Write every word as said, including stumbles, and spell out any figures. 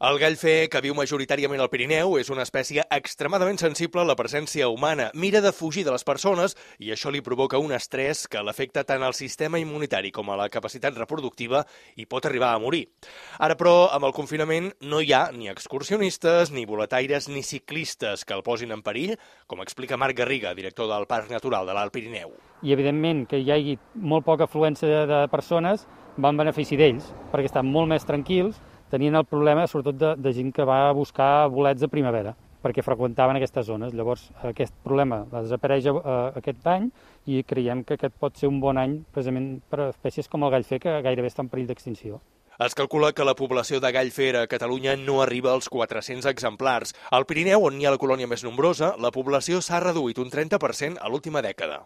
El gall fer, que viu majoritàriament al Pirineu, és una espècie extremadament sensible a la presència humana. Mira de fugir de les persones i això li provoca un estrès que l'afecta tant al sistema immunitari com a la capacitat reproductiva i pot arribar a morir. Ara, però, amb el confinament no hi ha ni excursionistes, ni boletaires, ni ciclistes que el posin en perill, com explica Marc Garriga, director del Parc Natural de l'Alt Pirineu. I, evidentment, que hi hagi molt poca afluència de persones va en benefici d'ells, perquè estan molt més tranquils, tenien el problema, sobretot, de, de gent que va a buscar bolets de primavera, perquè freqüentaven aquestes zones. Llavors, aquest problema desapareix eh, aquest any i creiem que aquest pot ser un bon any precisament per a espècies com el gall fer, que gairebé està en perill d'extinció. Es calcula que la població de gall fer a Catalunya no arriba als quatre-cents exemplars. Al Pirineu, on hi ha la colònia més nombrosa, la població s'ha reduït un trenta per cent a l'última dècada.